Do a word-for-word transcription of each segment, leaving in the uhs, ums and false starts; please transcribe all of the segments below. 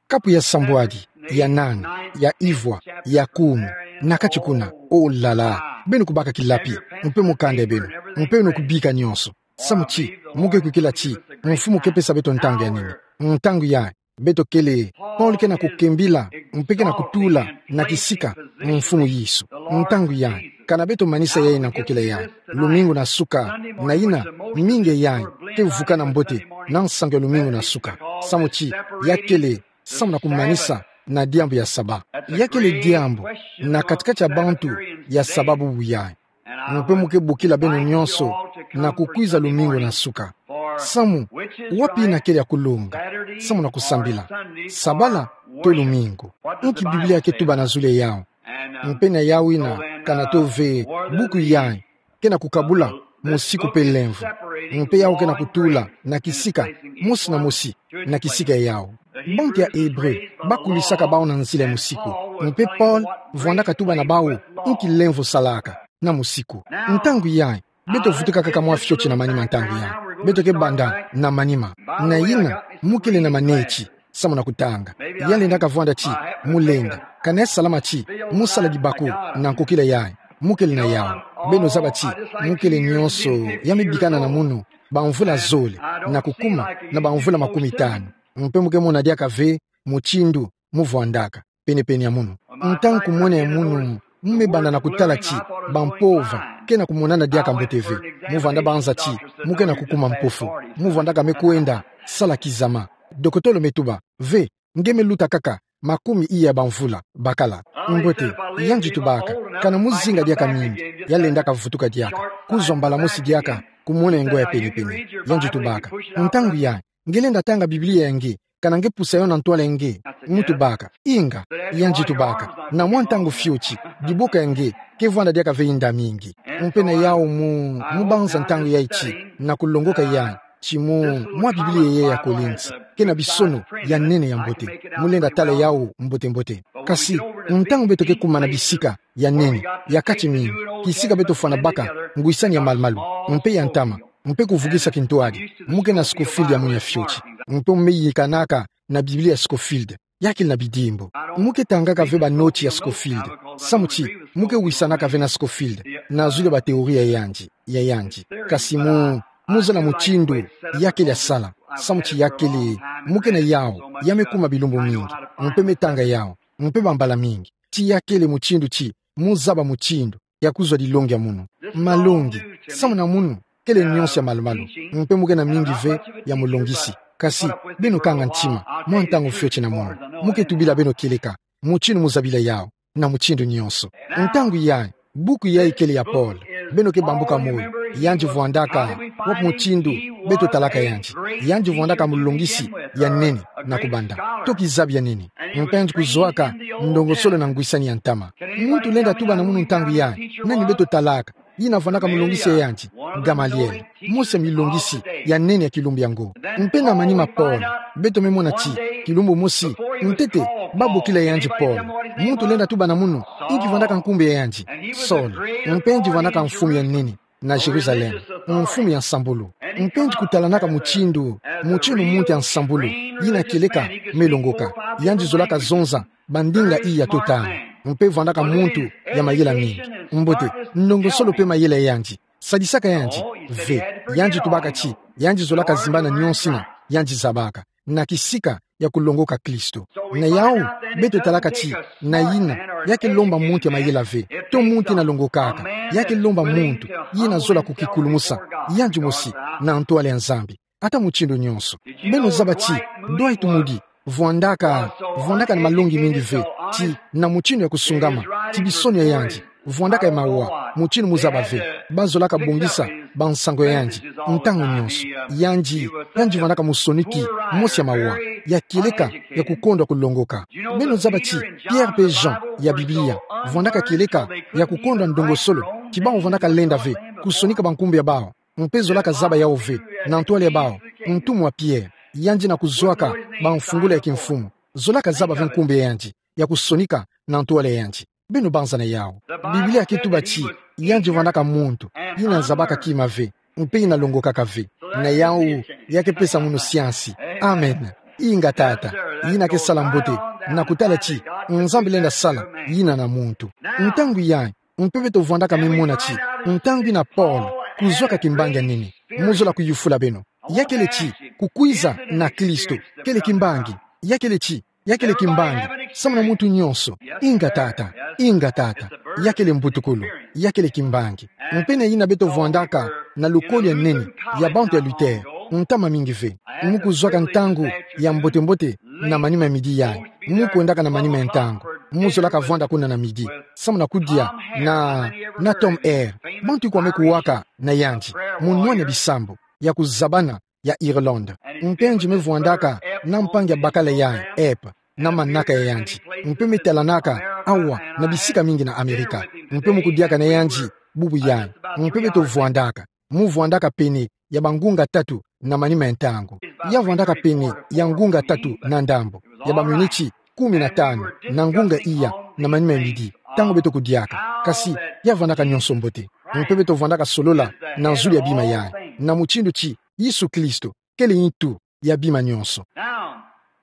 Kapu ya sambwadi, ya nani, ya ivwa, ya kumi, na kati kuna, oh là là, beno kubaka kilapi, mpe mu kanda beno, mpe beno kubika nyonso. Samu ti, mu ke kwikila ti, Mfumu ke pesa beto ntangu ya nene. Ntangu yayi, beto kele, Paul ke na kukembila, mpe ke na kutula, na kisika, Mfumu Yesu. Ntangu yayi, kana beto manisa yayi na nkokila yayi. Lumingu na suka, na yina, mingi yayi, ke vukana mbote, na nsangu ya lumingu na suka. Samu ti, ya kele, samu na kumanisa, na diambu ya saba. Ya kele diambu, na kati-kati ya bantu, ya saba bubu yayi. Mpe mu ke bokila beno nyonso, na kukwiza lumingu na suka. Samu, wapi yina kele ya kulonga, samu na kusambila. Sabala, to lumingu. Inki Biblia ke tuba na zulu ya yawu. Mpe na yawu yina, kana to ve, buku yayi, ke na kukabula, mosiku mpe lemvo. Mpe yawu ke na kutula, na kisika, mosi na mosi, na kisika ya yawu. Bantu ya Ebre, bakulisaka bawu na nzila ya mosiku. Mpe Paul, vwandaka tuba na bawu, inki lemvo salaka, na mosiku. Ntangu yayi, beto vutuka kaka mwa fioti na manima ntangu yayi. Beto ke banda, na manima. Na yina, mu kele na maneti, samu na kutanga. Ya lendaka vwanda ti, mu lenda. Kana ya salama ti, mu sala dibaku, na nkokila yayi. Mu kele na yawu. Beno zaba ti, mu kele nyonso, ya me bikana na munu, bamvula zole, na kukuma, na bamvula makumi tanu. Mpe mu ke mona diaka ve, mutindu, mu vwandaka, pene-pene ya munu. Ntangu kumwena ya munu, mu me banda na kutala ti, bampova, ke na kumonana diaka mbote ve. Mu vwanda banza ti, mu ke na kukuma mpofu. Mu vwandaka me kwenda, sala kizama. Dokotolo me tuba, ve, nge me luta kaka, makumi iya bamvula, bakala. Mbote, yandi tubaka, kana mu zinga diaka mingi, ya lendaka vutuka diaka. Kuzwa mbala mosi diaka, kumwena ngo ya pene-pene. Yandi tubaka, ntangu yayi, nge lenda tanga Biblia ya nge, kana nge pusa yo na ntwala ya nge, mu tubaka, inga, yandi tubaka, na mwa ntangu fioti, diboka ya nge, ke vwanda diaka ve yinda mingi. Mpe na yawu mu, mu banza ntangu yayi ti, na kulongoka yayi, ti mu, mwa Biblia yayi ya Kolinti, ke na bisono, ya nene ya mbote, mu lenda tala yawu, mbote-mbote. Kasi, ntangu beto ke kuma na bisika, ya nene, ya kati mingi, kisika beto fwana baka, ngwisani ya malu-malu, mpe ya ntama, mpe kuvukisa kintwadi, mu ke na Scofield ya munu ya fioti, mpe mu me yikanaka, na Biblia ya Scofield, ya kele na bidimbu. Mu ke tangaka ve banoti ya Scofield, samu ti, mu ke wisanaka ve na Scofield, na zulu ya ba théorie ya yandi, ya yandi. Kasi mu, mu zala mutindu, ya kele ya sala, samu ti ya kele, mu ke na yawu, ya me kuma bilumbu mingi, mpe me tanga yawu, mpe bambala mingi, ti ya kele mutindu ti, mu zaba mutindu, ya kuzwa dilongi ya munu. Malongi, samu na munu, kele nyonso ya malu-malu, mpe mu ke na mingi ve, ya mulongisi. Kasi, beno kanga ntima, mwa ntangu fioti na munu. Mu ke tubila beno kieleka, mutindu mu zabila yawu, na mutindu nyonso. Ntangu yayi, buku yayi kele ya Paul, beno ke bambuka moyo, yandi vwandaka, wapi mutindu, beto talaka yandi. Yandi vwandaka mulongisi, ya nene, na kubanda. Toki zabi ya nene. Mpe yandi kuzwaka, ndongosolo na ngwisani ya ntama. Muntu lenda tuba na munu ntangu yayi, nani beto talaka, yina vwandaka mulongisi ya yandi, Gamaliel. Mosi ya milongisi, ya nene ya kilumbu yango. Mpe na manima Paul, beto me mona ti, kilumbu mosi, ntete, babokila yandi Paul. Muntu lenda tuba na munu, inki vwandaka nkumbu ya yandi, Saul. Mpe yandi vwandaka mfumu ya nene, na Jérusalem, mfumu ya nsambulu. Mpe yandi kutalanaka mutindu, mutindu muntu ya nsambulu, yina kieleka, me longoka. Yandi zolaka zonza, bandinga iya to tanu. Mpe vwandaka muntu, ya mayela mingi. Mbote, ndongosolo mpe mayela ya yandi, sadisaka yandi, ve, yandi tubaka ti, yandi zolaka zimbana nyonso yina, yandi zabaka. Na kisika, ya kulongoka Kristo. Na yawu, beto talaka ti, na yina, ya ke lomba muntu ya mayela ve, to muntu yina longokaka, ya ke lomba muntu, yina zola kukikulumusa, yandi mosi, na ntwala ya Nzambi. Ata mutindu nyonso. Beno zaba ti, Dwight Moody, vwandaka, vwandaka na malongi mingi ve, ti, na mutindu ya kusungama, ti bisono ya yandi, vwandaka ya mawa, mutindu mu zaba ve, bazolaka bongisa, bansango ya yandi, ntangu nyonso. Yandi, yandi vwandaka musoniki, mosi ya mawa, ya kieleka, ya kukondwa kulongoka. Beno zaba ti, Pierre mpe Jean, ya Biblia, vwandaka kieleka, ya kukondwa ndongosolo, ti bawu vwandaka lenda ve, kusonika bankumbu ya bawu, mpe zolaka zaba yawu ve, na ntwala ya bawu, ntumwa Pierre, yandi na kuzwaka, bamfungula ya kimfumu, zolaka zaba ve nkumbu ya yandi, ya kusonika, na ntwala ya yandi. Beno banza na yawu. Biblia ke tuba ti, yandi vwandaka muntu, yina zabaka kima ve, mpe yina longokaka ve. Na yawu, ya ke pesa munu siansi. Amen. Inga tata, yina ke sala mbote, na kutala ti, Nzambi lenda sala, yina na muntu. Ntangu yayi, mpe beto vwandaka me mona ti, ntangu yina Paul, kuzwaka kimbangi ya nene, mu zola kuyufula beno. Ya kele ti, kukwiza na Kristo, kele kimbangi, ya kele ti, ya kele kimbangi, samu na muntu nyonso. Inga tata, inga tata, ya kele mbutukulu, ya kele kimbangi. Mpe na yina beto vwandaka na lukolo ya nene, ya bantu ya Luther, ntama mingi ve. Mu kuzwaka ntangu ya mbote-mbote na manima ya midi yayi, mu kwendaka na manima ya ntangu, mu zolaka vwanda kuna na midi, samu na kudia na, na Tom Hare, bantu ikwame kuwaka na yandi, mu nwana bisambu ya kuzabana ya Irlande. Mpe nge me vwandaka na mpangi ya bakala yayi, Epp, na manaka ya yandi. Mpe me talanaka awa na bisika mingi na Amerika. Mpe mu kudiaka na yandi bubu yayi. Mpe beto vwandaka. Mu vwandaka pene ya bangunga tatu na manima ya ntangu. Ya vwandaka pene ya ngunga tatu na ndambu, ya baminiti kumi na tanu, na ngunga iya na manima ya midi, ntangu beto kudiaka. Kasi, ya vwandaka nyonso mbote. Mpe beto vwandaka solola na nzulu ya bima yayi, na mutindu ti Yesu Kristo kele ntu ya bima nyonso. Now,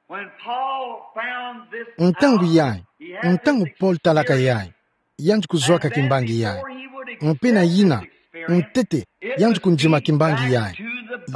when Paul found this Ntangu out, yayi, he had ntangu this Paul talaka experience. Yayi, yandi kuzwaka kimbangi yayi. Mpe na yina, ntete, yandi kundima kimbangi yayi,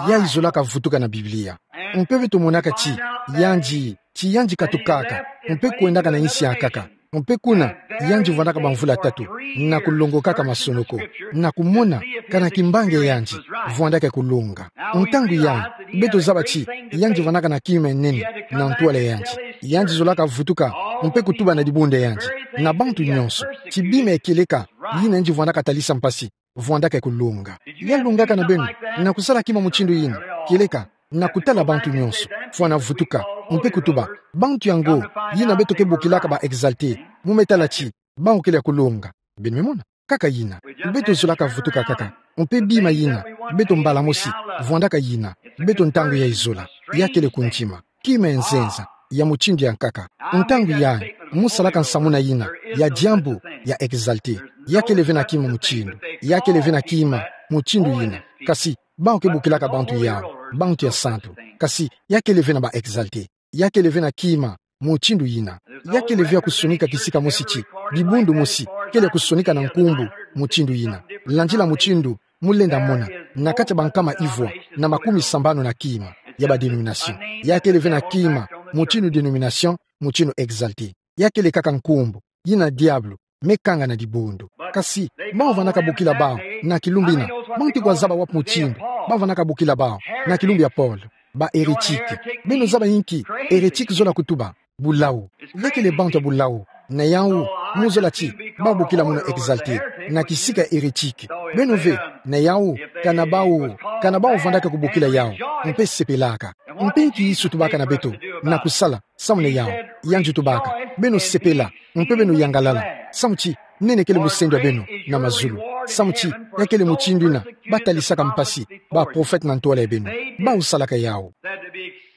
yayi zolaka vutuka na Biblia. Mpe beto monaka ti, yandi, ti yandi katukaka, mpe kwendaka na insi ya nkaka. Mpe kuna, yandi vwandaka bamvula tatu, na kulongokaka masonoko, na kumona, kana kimbangi ya yandi vwandaka kulonga. Ntangu yayi, beto zaba ti, yandi vwandaka na kima ya nene na ntwala ya yandi. Yandi zolaka vutuka, mpe kutuba na dibundu ya yandi, na bantu nyonso, ti bima ya kieleka, yina yandi vwandaka talisa mpasi, vwandaka kulonga. Ya longaka na beno na kusala kima mutindu yina, kieleka, na kutala bantu nyonso, fwana vutuka, mpe kutuba, bantu yango, yina beto ke bokilaka ba exaltés, mu me tala ti, bawu kele ya kulonga. Beno me mona, kaka yina. Beto zolaka vutuka kaka. Mpe bima yina, beto mbala mosi, vwandaka yina, beto ntangu yayi zola, ya kele kundima. Kima ya nzenza, ya mutindu ya nkaka. Ntangu yayi, mu salaka nsamuna yina, ya diambu, ya exaltés. Ya kele ve na kima mutindu, ya kele ve na kima mutindu yina. Kasi, bawu ke bokilaka bantu yawu, bantu ya santu. Kasi, ya kele ve na ba exaltés. Ya kele ve na kima mutindu yina. Ya kele ve ya kusonika kisika mosi ti, dibundu mosi, kele ya kusonika na nkumbu mutindu yina. Landila mutindu mu lenda mona, na kati ya bankama ivwa na makumi sambanu na kima ya ba dénominations. Ya kele ve na kima mutindu dénominations, mutindu exaltés. Ya kele kaka nkumbu, yina diabulu me kanga na dibundu. Kasi, bawu vwandaka bokila bawu na kilumbu yina, bawu ti kwa zaba wapi mutindu bawu vwandaka bokila bawu na kilumbu ya Paul, ba hérétiques. Beno zaba inki hérétique zola kutuba? Bulawu. Ya kele bantu ya bulawu. Na yawu, mu zola ti, bawu bokila mono exaltés, na kisika hérétique. Beno ve, na yawu, kana bawu, kana bawu vwandaka kubokila yawu, mpe sepelaka. Mpe inki Yesu tubaka na beto na kusala, samu na yawu? Yandi tubaka, beno sepela, mpe beno yangalala. Samu ti, nene kele musendo ya beno na mazulu. Samu ti, ya kele mutindu yina ba talisaka mpasi ba prophètes na ntwala ya beno. Bawu salaka yawu.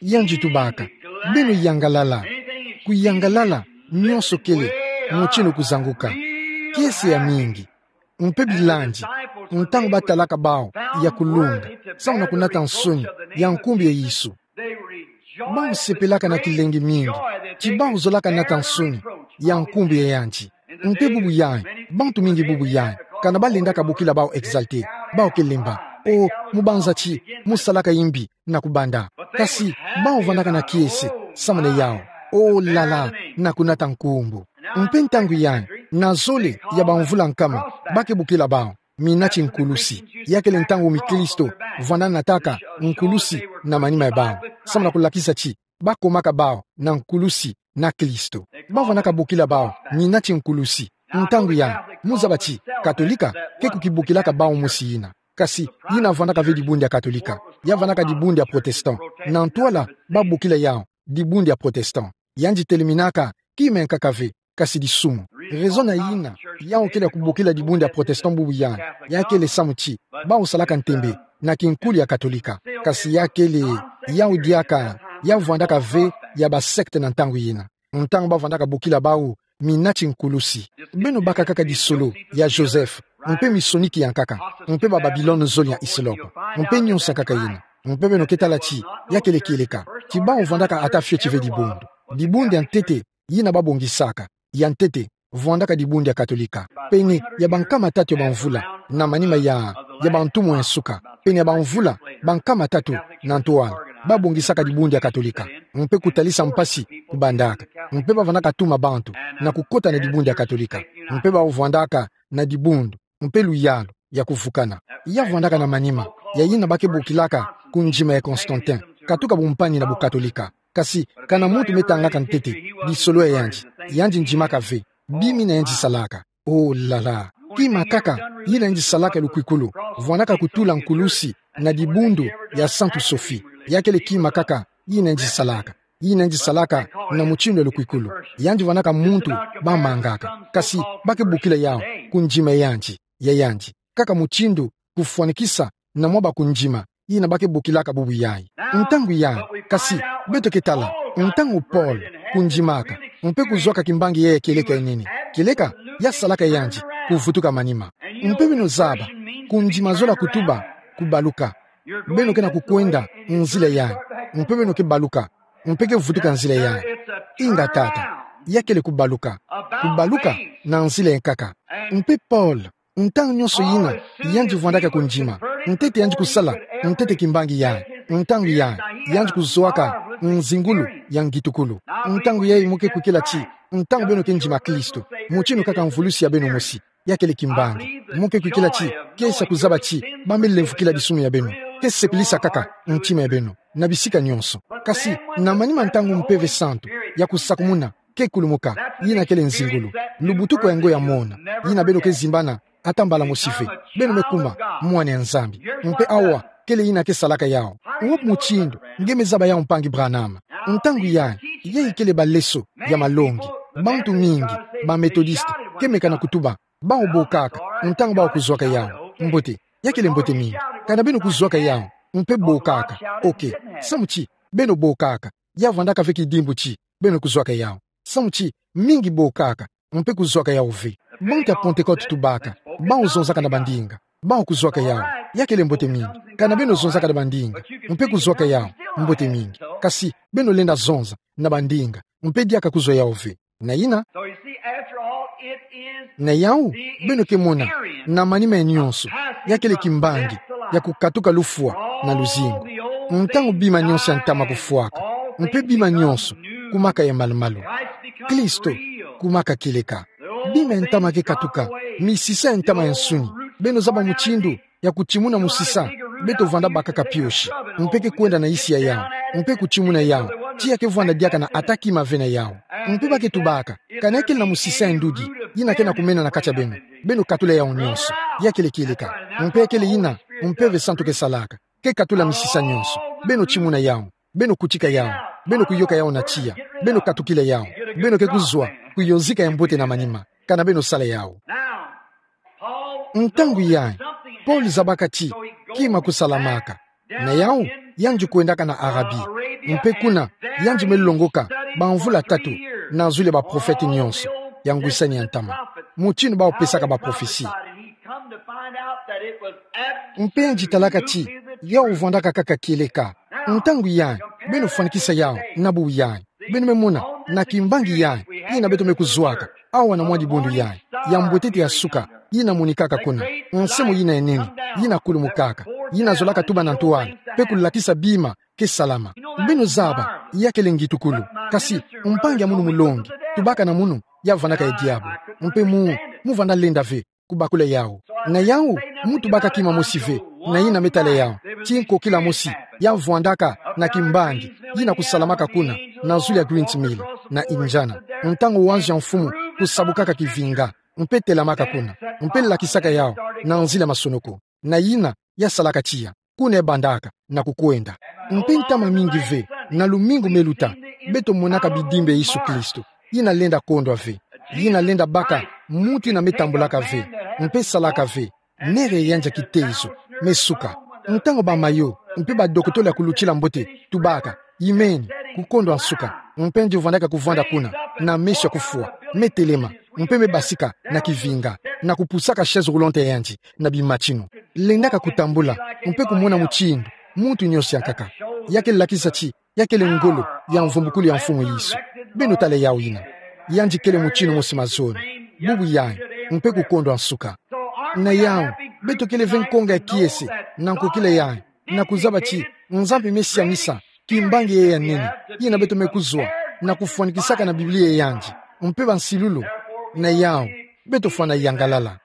Yandi tubaka, beno yangalala. Kuyangalala, nyonso kele mutindu kuzanguka. Kiese ya mingi. Mpe bilandi, ntangu ba talaka bawu ya kulonga, samu na kunata nsoni ya nkumbu ya Yesu, bawu sepelaka na kilengi mingi ti bawu zolaka nata nsoni ya nkumbu ya yandi. Mpe bubu yayi, bantu mingi bubu yayi, kana ba lendaka bokila bawu exaltés, bawu ke lemba. O, mu banza ti mu salaka yimbi na kubanda. Kasi, bawu vwandaka na kiese, samu na yawu. O lala, na kunata nkumbu. Mpe ntangu yayi, na zole ya bamvula nkama, ba ke bokila bawu mina ti nkulusi. Ya kele ntangu mikristo vwanda nataka nkulusi na manima ya bawu, samu na kulakisa ti ba komaka bawu na nkulusi na Kristo. Ba vwandaka bokila bawu mina ti nkulusi. Ntangu yayi, mu zaba ti Katolika ke kukibokilaka bawu mosi yina. Kasi, yina vwandaka ve dibundu ya Katolika. Ya vwandaka dibundu ya Protestant. Na ntwala ba bokila yawu dibundu ya Protestant. Yandi teleminaka kima ya nkaka ve, kasi disumu. Raison na yina yawu kele ya kubokila dibundu ya Protestant bubu yayi, ya kele samu ti bawu salaka ntembe na kinkulu ya Katolika. Kasi ya kele, yawu diaka, ya vwandaka ve ya ba sectes na ntangu yina. Ntangu ba vwandaka bokila bawu mina ti nkulusi. Beno baka kaka disolo ya Joseph, mpe misoniki ya nkaka, mpe ba Babilone zole ya Hislop, mpe nyonso ya nkaka yina. Mpe beno ke tala ti, ya kele kieleka, ti bawu vwandaka ata fioti ve dibundu. Dibundu ya ntete, yina babongisaka, ya ntete, vwandaka dibundu ya Katolika. Pene ya bankama tatu ya bamvula, na manima ya, ya bantumu ya nsuka. Pene ya bamvula, bankama tatu, na ntwala, babongisaka dibundu ya Katolika. Mpe kutalisa mpasi, kubandaka. Mpe bavwandaka tuma bantu, na kukota na dibundu ya Katolika. Mpe bawu vwandaka, na dibundu, mpe luyalu, ya kuvukana. Ya vwandaka na manima, ya yina ba ke bokilaka, kundima ya Constantin, katuka bumpani na bukatolika. Kasi, kana muntu me tangaka ntete, disolo ya yandi, yandi ndimaka ve, bima yina yandi salaka. Oh là là, kima kaka, yina yandi salaka lukwikulu, vwandaka kutula nkulusi, na dibundu, ya Santu Sophie, ya kele kima kaka, yina yandi salaka. Yina yandi salaka, na mutindu ya lukwikulu. Yandi vwandaka muntu, bamangaka. Kasi, ba ke bokila yawu, kundima ya yandi, ya yandi. Kaka mutindu, kufwanikisa, na mwa ba kundima, yina ba ke bokilaka bubu yayi. Ntangu yayi, kasi, beto ke tala, ntangu Paul, kundimaka, mpe kuzwaka kimbangi yayi ya kieleka ya nene. Kieleka, ya salaka yandi, kuvutuka manima. Mpe beno zaba, kundima zola kutuba, kubaluka. Beno ke na kukwenda, nzila yayi. Mpe beno ke baluka, mpe ke vutuka nzila yayi. Inga tata, ya kele kubaluka. Kubaluka, na nzila yankaka. Mpe Paul, ntangu nyonso yina, yandi vwandaka kundima. Ntete yandi kusala, ntete kimbangi yayi. Ntangu yayi, yandi kuzwaka, nzingulu, ya ngitukulu. Ntangu yayi mu ke kwikila ti, ntangu beno ke ndima Kristo. Mutindu kaka mvulusi ya beno mosi. Ya kele kimbangi. Mu ke kwikila ti, ke sa kuzaba ti, ba me lemvukila disumu ya beno. Ke sepelisa kaka, ntima ya beno. Na bisika nyonso. Kasi, na manima ntangu Mpeve Santu, ya kusakumuna, ke kulumuka, yina kele nzingulu. Lubutuku ya ngo ya mona, yina beno ke zimbana, ata mbala mosi ve. Beno me kuma, mwana ya Nzambi. Mpe awa, kele yina ke salaka yawu. Wapi mutindu, nge me zaba yawu mpangi Branham. Ntangu yayi, yayi kele baleso, ya malongi. Bantu mingi, ba Methodiste, ke meka na kutuba, bawu bokaka, ntangu bawu kuzwaka yawu. Mbote, ya kele mbote mingi. Kana beno kuzwaka yawu, mpe bokaka. Ok, samu ti, beno bokaka. Ya vwandaka ve kidimbu ti, beno kuzwaka yawu. Samu ti, mingi bokaka, mpe kuzwaka yawu ve. Bantu ya Pentecôte tubaka, bawu zonzaka na bandinga, bawu kuzwaka yawu. Ya kele mbote mingi, kana beno zonzaka na bandinga, mpe kuzwaka yawu, mbote mingi. Kasi, beno lenda zonza, na bandinga, mpe diaka kuzwa yawu ve. Na yina, So you see, after all, it is na yawu, the beno ke mona, experience na manima ya nyonso, of passing ya kele from kimbangi, death to life. Ya kukatuka lufwa, na luzingu. All the old Ntangu things bima nyonso ya ntama die, kufwaka, all mpe things bima become nyonso, new. Kumaka ya malumalu. Christ becomes Kristo, real. Kumaka kieleka. The old Bima ya ntama things ke katuka, drop away. Misisa ya ntama ya nsuni, beno zaba mutindu, ya kutimuna musisa, beto vwanda bakaka piosi, mpe ke kwenda na isi ya yawu, mpe kutimuna yawu, tiya ke vwanda diaka na ata kima ve na yawu. Mpe ba ke tubaka, kana kele na musisa ya ndudi, yina ke na kumena na kati ya beno, beno katula yawu nyonso, ya kele kieleka, mpe kele yina, Mpeve Santu ke salaka, ke katula misisa nyonso, beno timuna yawu, beno kutika yawu, beno kuyoka yawu na tiya, beno katukila yawu, beno ke kuzwa, kuyonzika ya mbote na manima, kana beno sala yawu. Ntangu yayi, Paul zabaka ti, kima kusalamaka. Na yawu, yandi kwendaka na Arabie. Mpe kuna, yandi me longoka, bamvula tatu, na zulu ya baprofete nyonso, ya ngwisani ya ntama. Mutindu bawu pesaka baprofesi. Mpe yandi talaka ti, yawu vwandaka kaka kieleka. Ntangu yayi, beno fwanikisa yawu, na bubu yayi. Beno me mona, na kimbangi yayi, yina beto me kuzwaka, awa na mwa dibundu yayi, ya mbwetete ya suka, yina monikaka kuna, nsemo yina ya nene, yina kulumukaka, yina zolaka tuba na ntwala, mpe kulakisa bima, ke salama. Beno zaba, ya kele ngitukulu, kasi, mpangi ya munu mulongi, tubaka na munu, ya vwandaka ya diabulu, mpe mu, mu vwanda lenda ve, kubakula yawu. Na yawu, mu tubaka kima mosi ve, na yina me tala yawu, ti nkokila mosi, ya vwandaka, na kimbangi, yina kusalamaka kuna, na zulu ya Green's Mill, na Indiana. Ntangu wanzu ya mfumu, kusabukaka kivinga, mpe telamaka kuna, mpe lakisaka yawu, na nzila masonoko. Na yina, ya salaka tiya, kuna ya bandaka, na kukwenda. Mpe ntama mingi ve, na lumingu me luta, beto monaka bidimbu ya Yesu Kristo, yina lenda kondwa ve, yina lenda baka, muntu yina me tambulaka ve, mpe salaka ve, nere ya yandi ya kitezo, me suka. Ntangu ba mayo, mpe ba dokotolo ya kulutila mbote, tubaka, yimeni, kukondwa nsuka, mpe yandi vwandaka kuvwanda kuna, na meso ya kufwa, me telema, mpe me basika, na kivinga, na kupusaka chaise roulante ya yandi, na bimatinu. Lendaka kutambula, mpe kumona mutindu, Muntu nyonso yankaka. Ya kele lakisa ti, ya kele ngolo ya mvumbukulu ya Mfumu Yesu. Beno tala yawu yina. Yandi kele mutindu mosi mazono. Bubu yayi, mpe kukondwa nsuka. Na yawu, beto kele ve nkonga ya kiese, na nkokila yayi, na kuzaba ti, Nzambi me siamisa kimbangi yayi ya nene, yina beto me kuzwa, na kufwanikisaka na Biblia ya yandi, mpe bansilulu. Na yawu, beto fwana yangalala.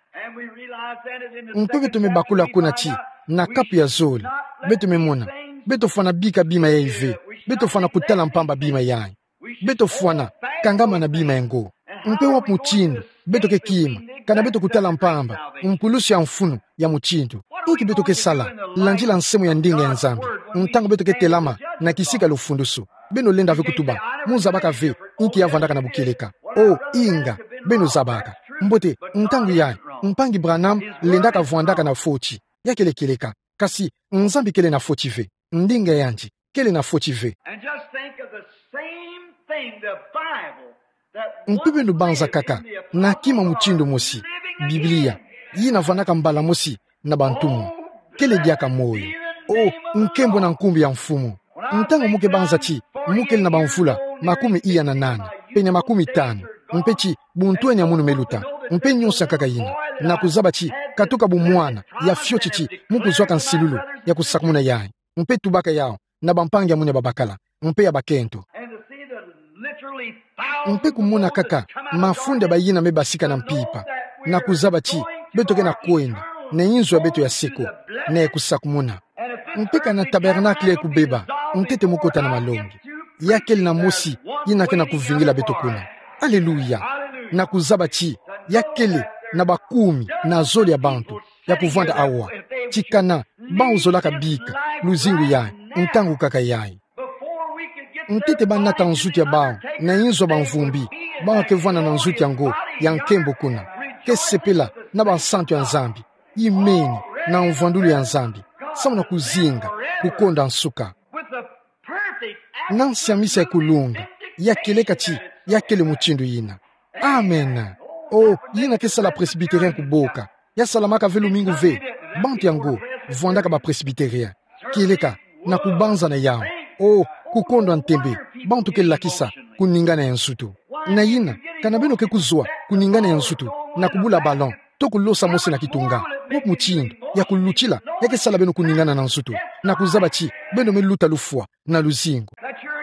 Mpe beto me bakula kuna ti, na kapu ya zole, beto me mona, beto fwana bika bima yayi ve, beto fwana kutala mpamba bima yayi. Beto fwana kangama na bima yango. Mpe wapi mutindu beto ke kima, kana beto kutala mpamba mpulusi ya mfunu ya mutindu? Inki beto ke sala, landila nsemo ya ndinga ya Nzambi, ntangu beto ke telama na kisika lufundusu? Beno lenda ve kutuba, mu zabaka ve inki ya vwandaka na bukieleka. O, inga, beno zabaka. Mbote, ntangu yayi, mpangi Branham lendaka vwandaka na foti. Ya kele kieleka. Kasi, Nzambi kele na foti ve. Ndinga yandi kele na foti ve. And just think of the same thing, the Bible, that Mpe beno banza kaka na kima mutindu mosi, Biblia, yina vwandaka mbala mosi na bantumwa, kele diaka moyo. O, nkembo na nkumbu ya Mfumu. Ntangu mu ke banza ti mu kele na bamvula makumi iya na nana, pene makumi tanu, mpe ti buntwenia munu me luta, mpe nyonso yankaka yina, na kuzaba ti, katuka bumwana ya fioti ti mu kuzwaka nsilulu ya kusakumuna yayi, mpe tubaka yawu na bampangi ya mwini ya babakala, mpe ya bakento. And to see the literally thousands Mpe kumona kaka mafunda bayina me basika na mpimpa, na kuzaba ti beto ke na kwenda na inzo ya beto ya seko, na ya kusakumuna. Mpe kana tabernacle ya kubeba, ntete mu kota na malongi. Ya kele na mosi yina ke na kuvingila beto kuna. Aleluya! Na kuzaba ti ya kele na bakumi na zole ya bantu ya kuvwanda awa. Ti kana bawu zolaka bika luzingu yayi, ntangu kaka yayi. Ntete ba nata nzutu ya bawu na inzo ya bamvumbi, bawu ke vwanda na nzutu yango ya nkembo kuna, ke sepela na bansantu ya Nzambi, imeni na mvwandulu ya Nzambi, samu na kuzinga kukonda nsuka. Na nsiamisa ya kulunga, ya kieleka ti ya kele mutindu yina. Amen. O, yina ke sala Presbytérien kuboka. Ya salamaka ve lumingu ve. Bantu yango vwandaka ba Presbytérien. Kieleka, na kubanza na yawu. O, kukondwa ntembe. Bantu ke lakisa kuningana ya nzutu. Na yina, kana beno ke kuzwa kuningana ya nzutu, na kubula ballon, to kulosa mosi na kitunga, wapi mutindu ya kulutila ya ke sala beno kuningana na nzutu, na kuzaba ti beno me luta lufwa na luzingu?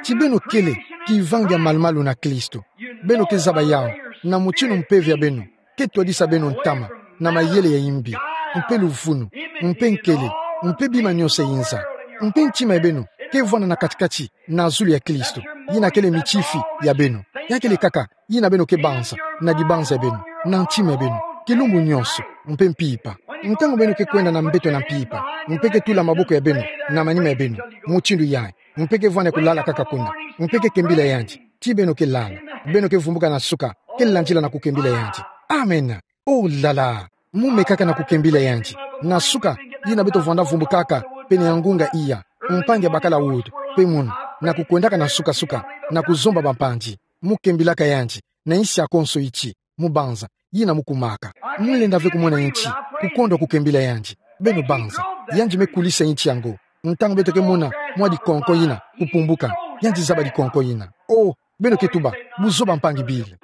Ti beno kele kivangi ya malumalu na Kristo. Beno ke zaba yawu na mutindu mpeve ya beno ke twadisa beno ntama na mayele ya imbi, mpe luvunu, mpe nkele, mpe bima nyonso ya inza. Mpe ntima ya beno ke vwanda na kati-kati na zulu ya Kristo, yina kele mitifi ya beno. Ya kele kaka yina beno ke banza na dibanza ya beno, na ntima ya beno, kilumbu nyonso, mpe mpimpa. Ntangu beno ke kwenda na mbeto na mpimpa, mpe ke tula maboko ya beno na manima ya beno, mutindu yayi, mpe ke vwanda kulala kaka kuna, mpe ke kembila yandi, ti beno ke lala, beno ke vumbuka na suka, ke landila na kukembila yandi. Amen. Oh là là! Mu mekaka na kukembila yandi. Na suka, yina beto vwanda vumbukaka pene ya ngunga iya, mpangi ya bakala Wood, mpe munu, na kukwendaka na suka-suka, na kuzomba bampangi. Mu kembilaka yandi na insi ya konso iti, mu banza yina mu kumaka. Mu lenda ve kumona inti, kukondwa kukembila yandi. Beno banza, yandi me kulisa inti yango. Ntangu beto ke mona mwa dikonko yina kupumbuka, yandi zaba dikonko yina. Oh, beno ke tuba, buzoba mpangi Bill.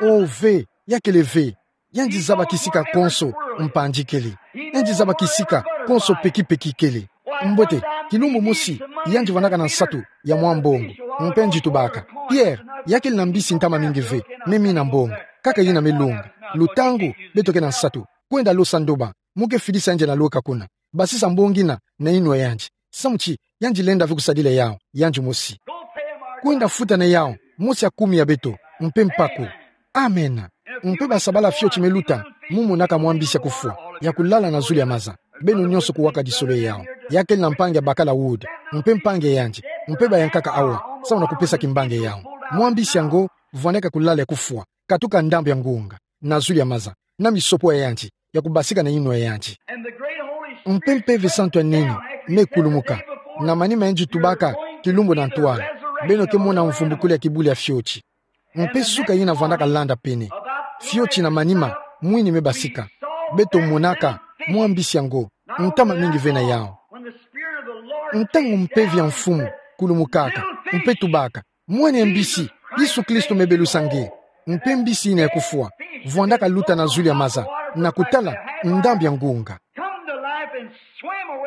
Oh ve, ya kele ve. Yandi zaba kisika konso mpangi kele. Yandi zaba kisika konso peki-peki kele. Mbote, kilumbu mosi, yandi vwandaka na nsatu ya mwa mbongo. Mpe yandi tubaka: Pierre, ya kele na mbisi ntama mingi ve me mina mbongo, kaka yina me longa. Lutangu beto ke na nsatu, kwenda losa ndoba, mu ke fidisa yandi na lweka kuna. Basisa mbongo yina na yinwa yandi. Samu ti yandi lenda ve kusadila yawu yandi mosi. Kwenda futa na yawu mosi ya kumi ya beto, mpe mpaku. Amen. Mpe basabala fioti me luta, mu monaka mwa mbisi ya kufwa ya kulala na zulu ya maza. Beno nyonso kuwakadisolo yawu. Ya kele na mpangi ya bakala Wood, mpe mpangi ya yandi, mpe bayankaka awa samu na kupesa kimbangi ya yawu. Mwa mbisi yango vwandaka kulala ya kufwa, katuka ndambu ya ngunga, na zulu ya maza, na misopo ya yandi ya kubasika na yinwa ya yandi. Mpe Mpeve Santu ya nene me kulumuka, na manima yandi tubaka kilumbu na ntwala: Beno ke mona mvumbukulu ya kibulu ya fioti. Mpe suka yina vwandaka landa pene, fioti na manima mwini me basika, beto monaka mwa mbisi yango, ntama mingi ve na yawu. Ntangu Mpeve ya Mfumu kulumukaka, mpe tubaka, Mwana ya mbisi, Yesu Kristo me belusa nge. Mpe mbisi ina ya kufwa vwandaka luta na zulu ya maza, na kutala ndambi ya ngunga.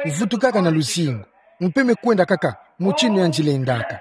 Vutukaka na luzingu, mpe me kwenda kaka mutindu yandi lendaka.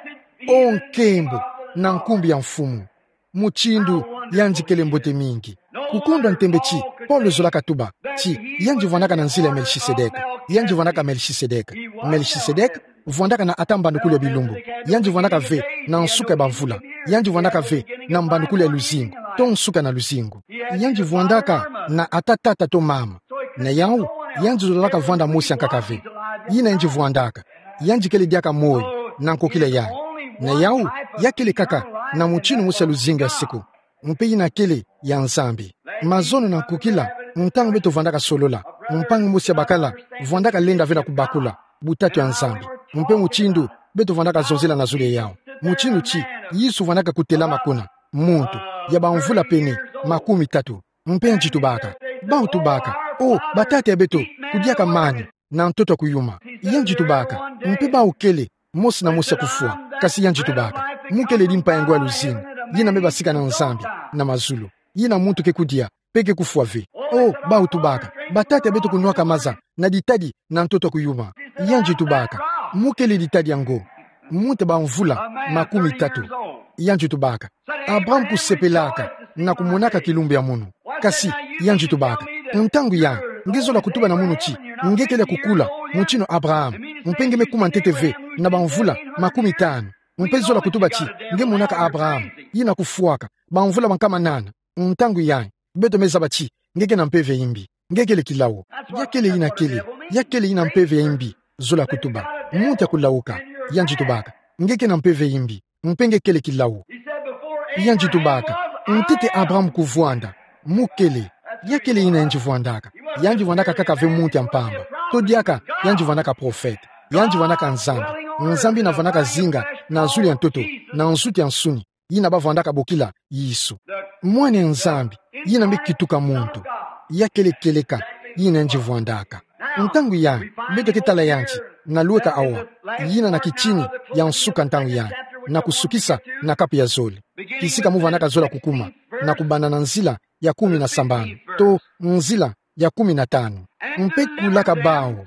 O nkembo na nkumbu ya Mfumu, mutindu yandi kele mbote mingi. Kukondwa ntembe ti Paulo zolaka tuba ti yandi vwandaka na nzila ya Melchisedeke. Yandi vwandaka Melchisedeke. Melchisedeke vwandaka na ata mbandukulu ya bilumbu. Yandi vwandaka ve na nsuka ya bamvula. Yandi vwandaka ve na mbandukulu ya luzingu, to nsuka na luzingu. Yandi vwandaka na ata tata to mama. Na yau, yandi zolaka vwanda mosi ya nkaka ve. Yina yandi vwandaka, yandi kele diaka moyo na nkokila yai. Na yau, ya kele kaka na mutindu mosi ya luzingu ya seko, mpe yina kele ya Nzambi. Mazono na nkokila, ntangu beto vwandaka solola, mpangi mosi ya bakala vwandaka lenda ve na kubakula butatu ya Nzambi, mpe mutindu beto vwandaka zonzela na zulu ya yau. Mutindu ti Yesu vwandaka kutelama kuna, muntu ya bamvula pene makumi tatu. Mpe yandi tubaka, bau tubaka, o batata ya beto, kudiaka mani na ntoto ya kuyuma. Yandi tubaka, mpe bau kele mosi na mosi ya kufwa. Kasi yandi tubaka, mu kele dimpa ya ngwa ya luzingu, yina me basika na Nzambi na mazulu, yina muntu ke kudia mpe ke kufwa ve. O, bau tubaka, batata ya beto kunwaka maza na ditadi na ntoto ya kuyuma. Yandi tubaka, mu kele ditadi yango, muntu ya bamvula makumi tatu. Yandi tubaka, Abraham kusepelaka na kumonaka kilumbu ya munu. Kasi yandi tubaka, ntangu ya nge zola kutuba na munu ti nge kele ya kukula mutindu Abraham, mpe nge me kuma ntete ve na bamvula makumi tanu, mpe zola kutuba ti nge monaka Abraham yina kufwaka bamvula bankama nana. Ntangu ya beto me zaba ti nge ke na mpeve ya imbi. Nge kele kilau. Ya kele yina kele, ya kele yina mpeve ya imbi zola kutuba. Muntu ya kulauka. Yandi tubaka, nge ke na mpeve ya imbi, mpe nge kele kilau. Yandi tubaka, ntete Abraham kuvwanda, mu kele. Ya kele yina yandi vwandaka. Yandi vwandaka kaka ve muntu ya mpamba. To diaka yandi vwandaka profete. Yandi vwandaka Nzambi. Nzambi yina vwandaka zinga na zulu ya ntoto, na nsuti ya nsuni, yina bavwandaka bokila Yesu. Mwana ya Nzambi yina me kituka muntu. Ya kele kieleka yina yandi vwandaka. Ntangu ya beto ke tala yandi na lweka awa, yina na kitini ya nsuka ntangu ya, na kusukisa na kapu ya zole, kisika mu vandaka zola kukuma, na kubanda na nzila ya kumi na sambanu, to nzila ya kumi na tanu. Mpe kulaka bau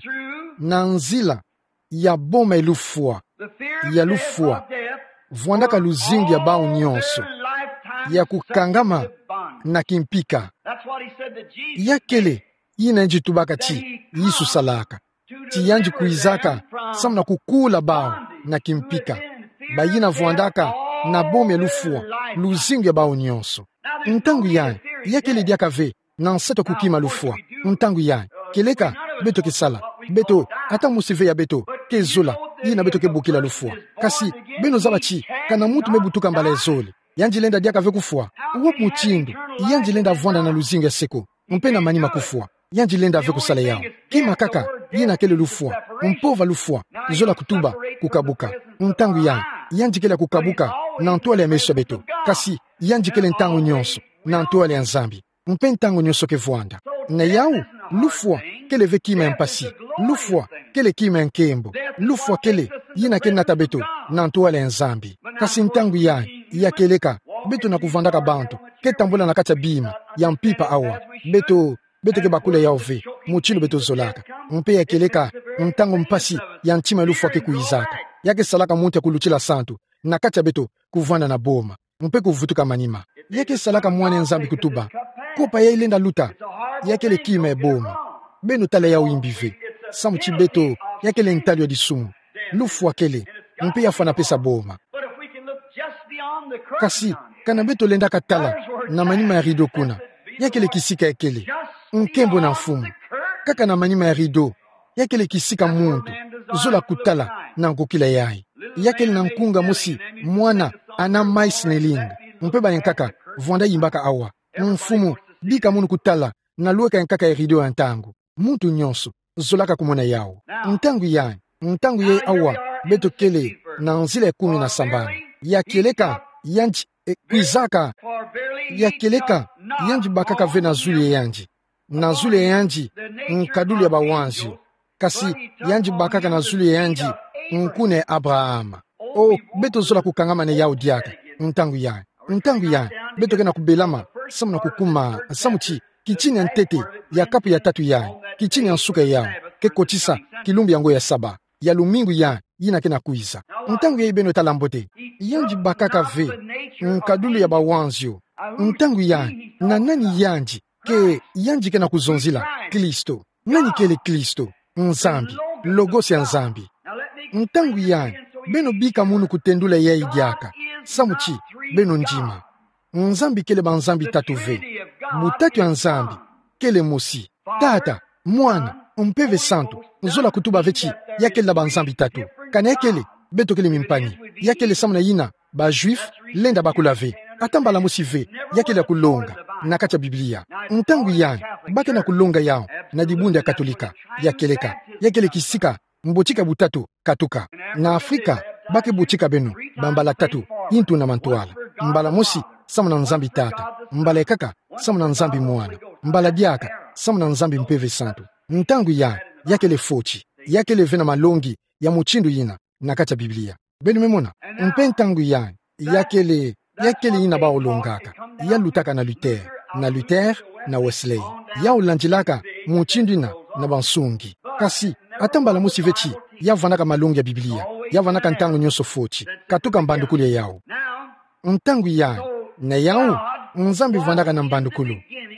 na nzila ya boma ya lufwa, ya lufwa, vwandaka luzingu ya bau nyonso, ya kukangama na kimpika. Ya kele yina yandi tubaka ti Yesu salaka, ti yandi kwizaka samu na kukula bau na kimpika, bayina vwandaka na boma ya lufwa, luzingu ya bau nyonso. Ntangu ya, ya kele diaka ve na nsatu ya kukima lufwa. Ntangu ya, kieleka beto ke sala, beto, ata mosi ve ya beto ke zola, yina beto ke bokila lufwa. Kasi beno zaba ti kana muntu me butuka mbala ya zole, yandi lenda diaka ve kufwa? Wapi mutindu yandi lenda vwanda na luzingu ya seko, mpe na manima kufwa? Yandi lenda ve kusala yau. Kima kaka yina kele lufwa, mpova lufwa zola kutuba kukabuka. Ntangu ya, yandi kele ya kukabuka na ntwala ya meso ya beto, kasi yandi kele ntangu nyonso na ntwala ya Nzambi. Mpe ntangu nyonso ke vwanda. Na yau, lufwa kele ve kima ya mpasi. Lufwa kele kima ya nkembo. Lufwa kele yina ke nata beto na ntwala ya Nzambi. Kasi ntangu ya, ya kieleka beto na kuvandaka bantu ke tambula na kati ya bima ya mpimpa awa, beto, beto ke bakula yau ve mutindu beto zolaka. Mpe ya kieleka ntangu mpasi ya ntima ya lufwa ke kwizaka, ya ke salaka muntu ya kulutila santu na kati ya beto kuvanda na boma, mpe kuvutuka manima. Ya ke salaka mwana ya Nzambi kutuba, kopa ya ilenda luta, ya kele kima ya boma. Beno tala yau imbi ve, samu ti beto, ya kele ntalu ya disumu. Lufwa kele, mpe ya fwana pesa boma. Kasi kana beto lenda katala na manima ya rido kuna, ya kele kisika ya kele. Nkembo na Mfumu. Kaka na manima ya rido, ya kele kisika muntu zola kutala na nkokila yayi. Ya kele na nkunga mosi mwana Anna Meisner-Ling, mpe bayankaka vwanda yimbaka awa: Mfumu, bika munu kutala na lweka ya nkaka ya rido ya ntangu. Muntu nyonso zolaka kumona yau. Ntangu yayi, ntangu yayi awa, beto kele na nzila ya kumi na sambanu. Ya kieleka yandi, e, kwizaka, ya kieleka yandi bakaka ve na zulu ya yandi, na zulu ya yandi nkadulu ya bawanzio. Kasi yandi bakaka na zulu ya yandi Nkuna ya Abraham. O, beto zola kukangamana yawu diaka. Ntangu ya, ntangu ya, beto ke na kubelama, samu na kukuma, samu ti, kitina ya ntete ya kapu ya tatu ya, kitina ya nsuka yawu, ke kotisa, kilumbu yango ya saba, ya lumingu ya, yina ke na kwiza. Ntangu ya beno tala mbote, yandi bakaka ve, nkadulu ya bawanzio. Ntangu ya, na nani yandi, ke yandi ke na kuzonzila, Kristo. Nani kele Kristo? Nzambi. Logos ya Nzambi. Ntangu ya, beno bika munu kutendula yayi diaka. Samu ti, beno ndima. Nzambi kele banzambi tatu ve. Butatu ya Nzambi, kele mosi. Tata, Mwana, Mpeve Santu, zola kutuba ve ti, ya kele na banzambi tatu. Kani ya kele, beto kele mimpani. Ya kele samu na yina, ba Juifs, lenda bakula ve. Ata mbala mosi ve, ya kele ya kulonga, na kati ya Biblia. Ntangu ya, ba ke na kulonga yawu, na dibundu ya Katolika, ya kieleka, ya kele kisika, mbotika butatu, katuka. Na Afrika, ba ke botika beno, bambala tatu, yintu na mantwala. Mbala mosi, samu na Nzambi Tata. Mbala ya kaka, samu na Nzambi Mwana. Mbala diaka, samu na Nzambi Mpeve Santu. Ntangu ya, ya kele foti. Ya kele ve na malongi, ya mutindu yina, na kati ya Biblia. Beno me mona, mpe ntangu ya, ya kele, ya kele yina bawu longaka, ya lutaka na Luther, na Luther, na Wesley. Yawu landilaka, mutindu yina, na bansungi. Kasi, ata mbala mosi ve ti, ya vandaka malongi ya Biblia, ya vandaka ntangu nyonso foti, katuka mbandukulu ya yawu. Ntangu ya, na yawu, Nzambi vandaka na mbandukulu.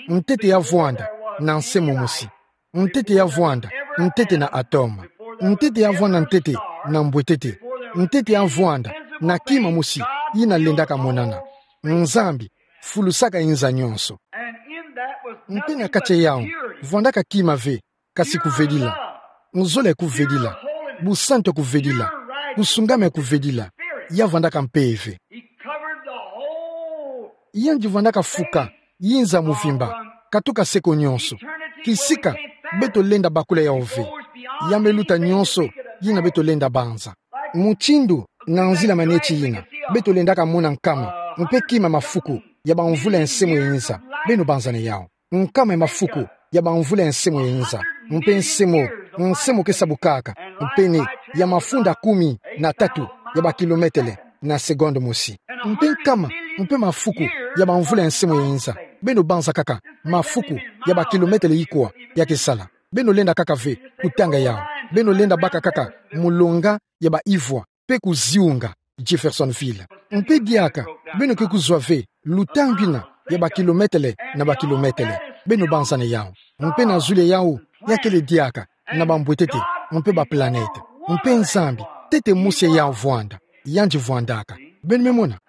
Ntete ya vwanda, na nse momosi. Ntete ya vwanda, ntete na atome. Ntete ya vwanda ntete, na mbwetete. Ntete ya vwanda, na kima mosi, yina lendaka monana. Nzambi, fulusaka inza nyonso. Mpe na kati ya yawu, vwandaka kima ve, kasi kuvedila. Nzole kuvedila. Busantu kuvedila. Kusungama kuvedila. Ya vwandaka mpeve. Yandi vwandaka fuka, yinza muvimba, katuka seko nyonso. Kisika, beto lenda bakula yawu ve. Ya me luta nyonso, yina beto lenda banza. Mutindu, na nzila maneti yina, beto lendaka mona nkama, mpe kima mafuku, ya bamvula ya nse mo ya inza, beno banzana yawu. Nkama ya mafuku, ya bamvula ya nse mo ya inza, mpe nse mo, nse mo ke sabukaka, mpe ne, ya mafunda kumi na tatu, ya bakilometele, na seconde mosi. Mpe nkama, mpe mafuku, ya bamvula ya nse mo ya inza, beno banza kaka, mafuku, ya bakilometele ikwa, ya ke sala. Beno lenda kaka ve, kutanga yawu. Beno lenda baka kaka, mulonga, ya ba ivwa, mpe kuziunga, Jeffersonville. Mpe diaka, beno ke kuzwa ve, lutangu yina, ya bakilometele, na bakilometele. Beno banzana yawu. Mpe na zulu ya yawu, ya kele diaka, na bambwetete, mpe baplanète. Mpe Nzambi, ntete mosi ya yawu vwanda. Yandi vwandaka. Beno me mona.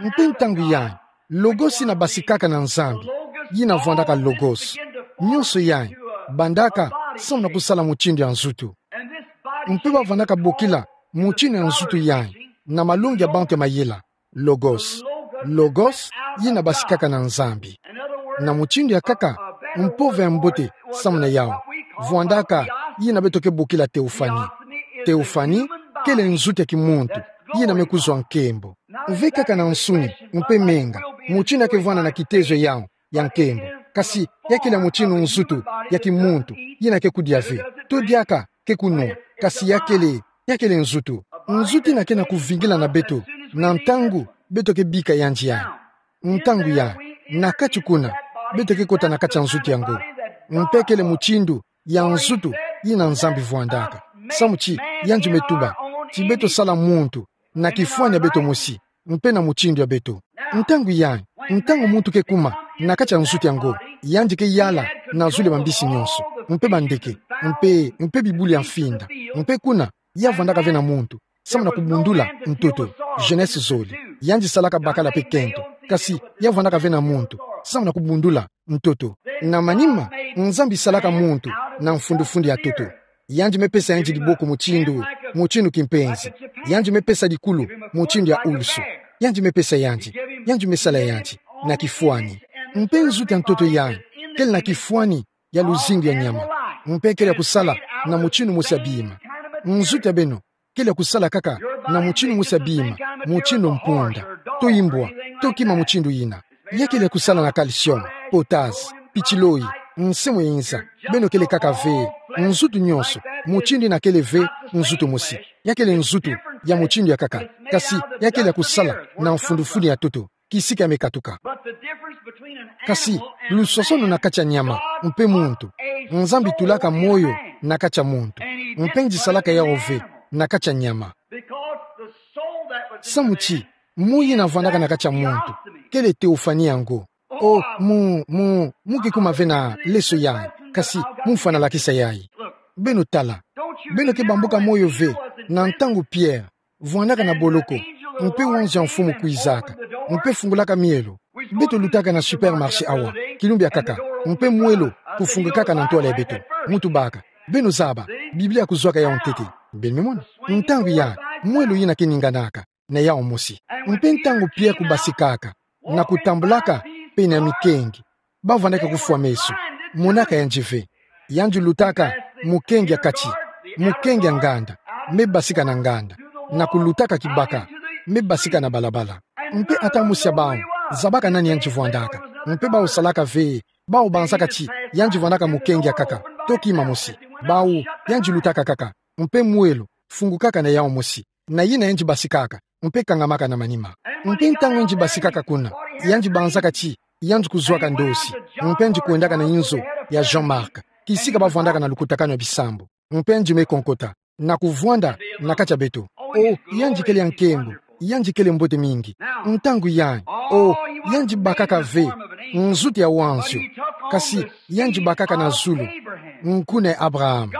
Mpe ntangu ya, Logos yina basikaka na Nzambi, yina vwandaka Logos. Nyonso yayi, bandaka, samu na kusala mutindu ya nzutu. Mpe ba vandaka bokila, mutindu ya nzutu yayi, na malongi ya bantu ya mayela, Logos. Logos, yina basikaka na Nzambi. Na mutindu ya nkaka, mpova ya mbote, samu na yawu. Vwandaka, yina beto ke bokila théophanie. Théophanie, kele nzutu ya kimuntu, yina me kuzwa nkembo. Ve kaka na nsuni, mpe menga, mutindu ya ke vwanda na kitezo ya yawu, ya nkembo. Kasi, ya kele mutindu nzutu, ya kimuntu, yina ke kudia ve. To diaka, ke kunwa, kasi ya kele, ya kele nzutu. Nzutu yina ke na kuvingila na beto, na ntangu, beto ke bika yandi yayi. Ntangu yayi, na kati kuna, beto ke kota na kati ya nzutu yango. Mpe kele mutindu, ya nzutu, yina Nzambi vwandaka. Samu ti, yandi me tuba, ti beto sala muntu, na kifwani ya beto mosi, mpe na mutindu ya beto. Ntangu yayi, ntangu muntu ke kuma, na kati ya nzutu yango, yandi ke yala, na zulu ya bambisi nyonso, mpe bandeke, mpe, mpe bibulu ya mfinda, mpe kuna, ya vwandaka ve na muntu, samu na kubundula ntoto, Genèse zole. Yandi salaka bakala mpe kento, kasi, ya vwandaka ve na muntu, samu na kubundula ntoto. Na manima, Nzambi salaka muntu, na mfundufundu ya ntoto. Yandi me pesa yandi diboko mutindu, mutindu kimpenzi. Yandi me pesa dikulu, mutindu ya ulusu. Yandi me pesa yandi, yandi me sala yandi, na kifwani. Mpe nzutu ya ntoto yayi, kele na kifwani, ya luzingu ya nyama. Mpe kele ya kusala, na mutindu mosi ya bima. Nzutu ya beno, kele ya kusala kaka, na mutindu mosi ya bima, mutindu mpunda. To imbwa, to kima mutindu yina. Ya kele ya kusala na calcium, potasse, pitiloi, nse mo ya inza. Beno kele kaka ve, Nzutu nyonso, mutindu ina kele ve nzutu mosi. Ya kele nzutu ya mutindu ya nkaka. Kasi, ya kele ya kusala na mfundufulu ya ntoto, kisika ya me katuka. Kasi, lusosono na kati ya nyama mpe muntu. Nzambi tulaka moyo na kati ya muntu. Mpe nge salaka yawu ve na kati ya nyama. Samu ti, moyo ina vwandaka na kati ya muntu kele theophanie ya ngo. O, mu, mu, mu ke kuma ve na leso yayi. Kasi, mu fwana lakisa yayi. Beno tala. Beno ke bambuka moyo ve na ntangu Pierre vwandaka na boloko, mpe ange ya mfumu kwizaka, mpe fungulaka mielo. Beto lutaka na supermarché awa, kilumbu ya nkaka, mpe mwelo kufungukaka na ntwala ya beto. Mu tubaka. Beno zaba, Biblia kuzwaka yawu ntete. Beno me mona. Ntangu yayi, mwelo ina ke ninganaka na yawu mosi. Mpe ntangu Pierre kubasikaka, na kutambulaka pene ya mikenge, bavwandaka kufwa meso, monaka yandi ve. Yandi lutaka mukenge ya kati, mukenge ya nganda, me basika na nganda, na kulutaka kibaka, me basika na balabala. Mpe ata mosi ya bawu zabaka nani yandi vwandaka. Mpe bawu salaka ve, bawu banzaka ti yandi vwandaka mukenge ya nkaka, to kima mosi. Bawu, yandi lutaka nkaka, mpe mwelo fungukaka na yawu mosi. Na yina yandi basikaka, mpe kangamaka na manima. Mpe ntangu yandi basikaka kuna, yandi banzaka ti yandi kuzwaka ndosi, mpe yandi kwendaka na inzo ya Jean-Marc, kisika bavwandaka na lukutakanu ya bisambu. Mpe yandi me konkota, na kuvwanda na kati ya beto. O, yandi kele ya nkembo, yandi kele mbote mingi. Ntangu yayi, o, yandi bakaka ve nzutu ya wanzio, kasi yandi bakaka na zulu nkuna ya Abraham.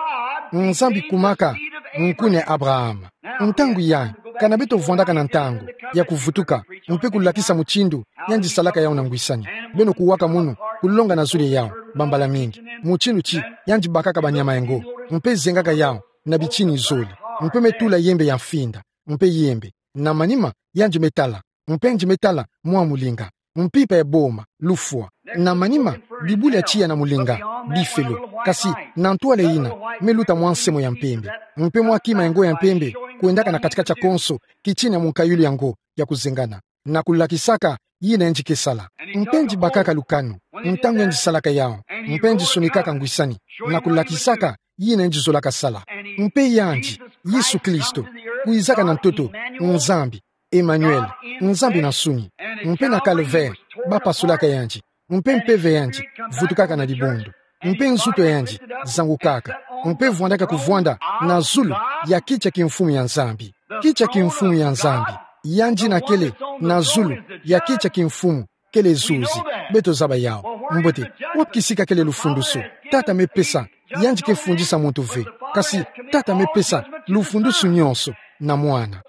Nzambi kumaka nkuna ya Abraham. Ntangu yayi, kana beto vwandaka na ntangu ya kuvutuka, mpe kulakisa mutindu yandi salaka yawu na ngwisani. Beno kuwaka munu, kulonga na zulu ya yawu, bambala mingi. Mutindu ti yandi bakaka banyama ya ngo, mpe zengaka yawu na bitini zole, mpe me tula yembe ya mfinda, mpe yembe. Na manima, yandi me tala, mpe yandi me tala mwa mulinga, mpimpa ya boma, lufwa. Na manima, bibula ya tiya na mulinga, bifelo. Kasi, na ntwala ina, me luta mwa nse mo ya mpembe. Mpe mwa kima ya ngo ya mpembe kwendaka na kati-kati ya konso, kitina ya munkayulu ya ngo ya kuzengana, na kulakisaka yina yandi ke sala. Mpe yandi bakaka lukanu ntangu yandi salaka yawu, mpe yandi sonikaka ngwisani, na kulakisaka yina yandi zolaka sala. Mpe yandi, Yesu Kristo, kwizaka na ntoto, Nzambi, Emmanuel, Nzambi na nsuni. Mpe na Calvaire, bapasulaka yandi, mpe mpeve ya yandi vutukaka na dibundu, mpe nzutu ya yandi zangukaka, mpe vwandaka kuvwanda na zulu ya kiti ya kimfumu ya Nzambi. Kiti ya kimfumu ya Nzambi, yandi ina kele na zulu ya kiti ya kimfumu, kele zuzi. Beto zaba yawu. Mbote, wapi kisika kele lufundusu? Tata me pesa, yandi ke fundisa muntu ve. Kasi, Tata me pesa lufundusu nyonso na Mwana.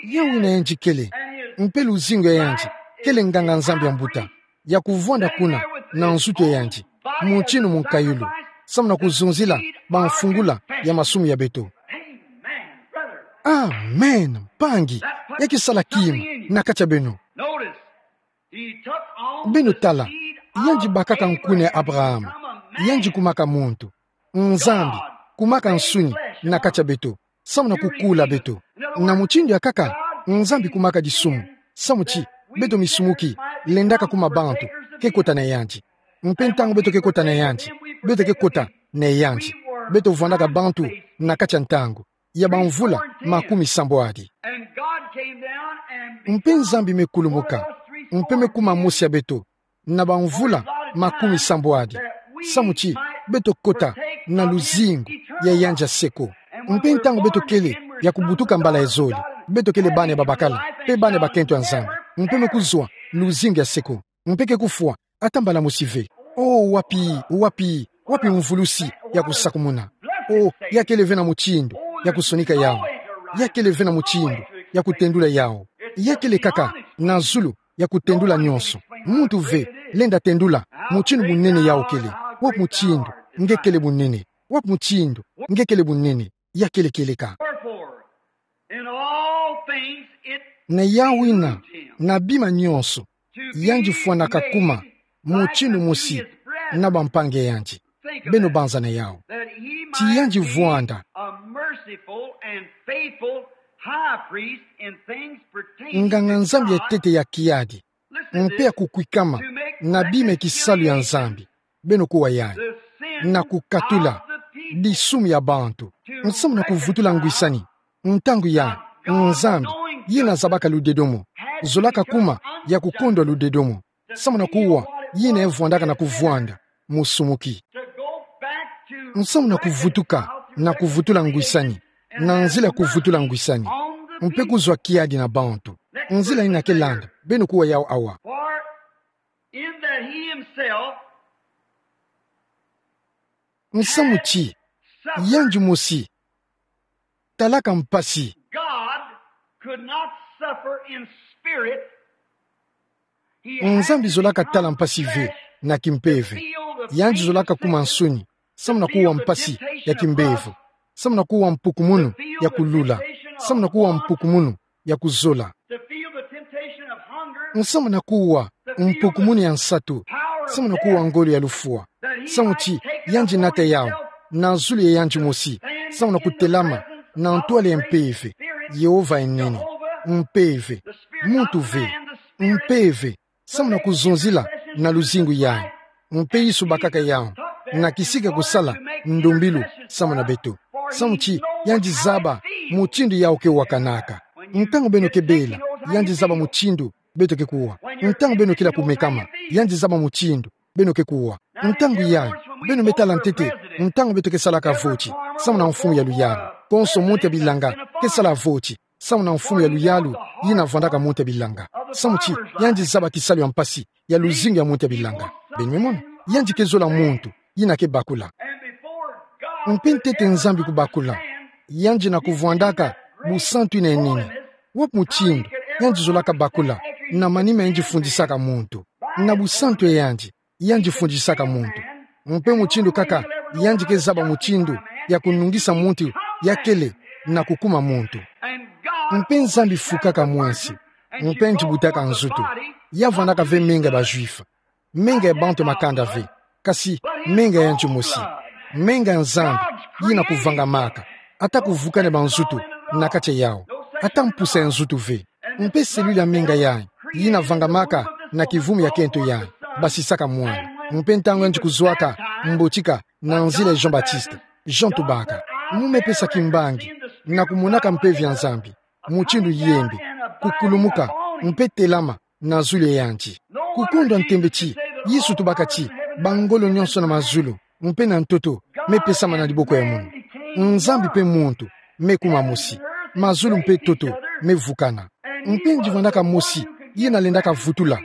Yawu ina yandi kele, mpe luzingu ya yandi kele nganga-Nzambi ya mbuta, ya kuvwanda kuna na nzutu ya yandi, mutindu munkayulu, samu na kuzonzila bamfungula ya masumu ya beto. Amen, mpangi. Ya ke sala kima na kati ya beno. Beno tala, yandi bakaka nkuna ya Abraham, yandi kumaka muntu. Nzambi kumaka nsuni na kati ya beto, samu na kukula beto. Na mutindu ya nkaka, Nzambi kumaka disumu, samu ti beto misumuki lendaka kuma bantu ke kota na yandi. Mpe ntangu beto ke kota na yandi, beto ke kota na yandi. Beto vwandaka bantu na kati ya ntangu ya bamvula makumi sambwadi. Mpe Nzambi me kulumuka, mpe me kuma mosi ya beto, na bamvula makumi sambwadi, samu ti beto kota na luzingu ya yandi ya seko. Mpe ntangu beto kele ya kubutuka mbala ya zole, beto kele bana ya babakala, mpe bana ya bakento ya Nzambi, mpe me kuzwa luzingu ya seko, mpe ke kufwa ata mbala mosi ve. O, wapi, wapi, wapi mvulusi ya kusakumuna? O, ya kele ve na mutindu ya kusonika yawu. Ya kele ve na mutindu ya kutendula yawu. Ya kele kaka na zulu ya kutendula nyonso. Muntu ve lenda tendula mutindu munene yawu kele. Wapi mutindu nge kele munene? Wapi mutindu nge kele munene? Ya kele kieleka. Wherefore, in all things it Na yawu ina, behooved him na bima nyonso, to be yandi fwanaka made kuma like mutindu unto mosi his brethren. Na bampangi ya yandi. Think of Beno that. Banza na yawu. That he Ti might yandi be vwanda a merciful and faithful high priest in things pertaining to nganga-Nzambi ya God. Ntete ya kiadi, Listen to mpe ya this. Kukwikama, To make na bima ya kisalu ya recompensations Nzambi. Beno kuwa yayi. The sins Na kukatula of the people. disumu ya bantu. Nsamu na kuvutula ngwisani. Ntangu ya, Nzambi, yina zabaka ludedomo, zolaka kuma ya kukondwa ludedomo. Nsamu na kuwa, yina evwandaka na kuvwanda, musumuki. Nsamu na kuvutuka, na kuvutula ngwisani, na nzila kuvutula ngwisani. Mpe kuzwa kiadi na bantu. Nzila yina kelanda, beno kuwa yawu awa. In that he himself Nsamu ti, yandi mosi, talaka mpasi. God could not suffer in spirit. He had Nzambi zolaka tala mpasi ve, na kimpeve. Yandi zolaka kuma nsuni, samu na kuwa mpasi ya kimbevo. Samu na kuwa mpukumunu ya kulula. Samu na kuwa mpukumunu ya kuzola. To feel the temptation of hunger. Nsamu na kuwa mpukumunu ya nsatu. Samu na kuwa ngolo ya lufwa. Samu ti yandi nata yawu na zulu ya yandi mosi. Samu na kutelama na ntwala ya mpeve. Yehova enene. Mpeve. Muntu ve. Mpeve. Samu na kuzonzila na luzingu yayi. Mpe Yesu bakaka yawu, na kisika kusala ndombilu samu na beto. Samu ti yandi zaba mutindu yawu ke wakanaka. Ntangu beno ke bela, yandi zaba mutindu beto ke kuwa. Ntangu beno kila kumekama, yandi zaba mutindu beno ke kuwa. Ntangu yayi, beno me tala ntete ntangu beto ke salaka voti samu na mfumu ya luyalu. Konso muntu ya bilanga ke sala voti samu na mfumu ya luyalu, yina vwandaka muntu ya bilanga. Samu ti yandi zaba kisalu ya mpasi ya luzingu ya muntu ya bilanga. Beno me mona, yandi ke zola muntu yina ke bakula. Mpe ntete Nzambi kubakula, yandi na kuvwandaka busantu yina ya nene. Wapi mutindu yandi zolaka bakula? Na manima yandi fundisaka muntu. Na busantu ya yandi, yandi fundisaka muntu. Mpe mutindu kaka yandi ke zaba mutindu ya kunungisa muntu ya kele na kukuma muntu. Mpe Nzambi fukaka mwensi, mpe yandi butaka nzutu. Ya vwandaka ve menga ya ba Juif, menga ya bantu ya makanda ve, kasi menga ya yandi mosi, menga ya Nzambi, yina kuvangamaka. Ata kuvukana ba nzutu na kati ya yawu, ata mpusa ya nzutu ve. Mpe selula menga yayi, yina vangamaka na kivumu ya kento yayi, basisaka mwana. Mpe ntangu yandi kuzwaka mbotika na nzila ya Jean-Baptiste, Jean tubaka: Mu me pesa kimbangi na kumonaka mpeve ya Nzambi mutindu yembi, kukulumuka, mpe telama na zulu ya yandi. Kukundwa ntembe ti Yesu tubaka ti bangolo nyonso na mazulu mpe na ntoto me pesama na diboko ya munu. Nzambi mpe muntu me kuma mosi. Mazulu mpe ntoto me vukana. Mpe yandi vwandaka mosi yina lendaka vutula,